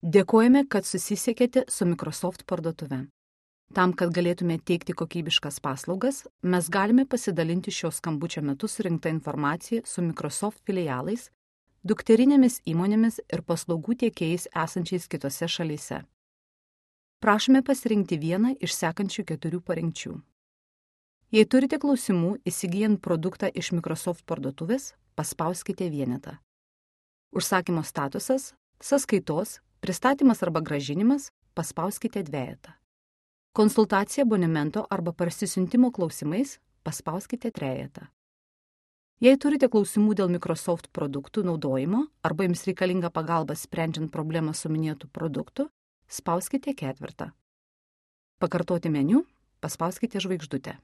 Dėkojame, kad susisiekėte su Microsoft parduotuve. Tam, kad galėtume teikti kokybiškas paslaugas, mes galime pasidalinti šio skambučio metu surinktą informaciją su Microsoft filialais, dukterinėmis įmonėmis ir paslaugų tiekėjais esančiais kitose šalyse. Prašome pasirinkti vieną iš sekančių 4 parinkčių. Jei turite klausimų įsigijant produktą iš Microsoft parduotuvės, paspauskite vienetą. Užsakymo statusas, sąskaitos, pristatymas arba grąžinimas, paspauskite dvejetą. Konsultacija abonemento arba parsisiuntimo klausimais, paspauskite trejetą. Jei turite klausimų dėl Microsoft produktų naudojimo arba jums reikalinga pagalba sprendžiant problemą su minėtų produktų, spauskite 4. Pakartoti meniu, paspauskite žvaigždutę.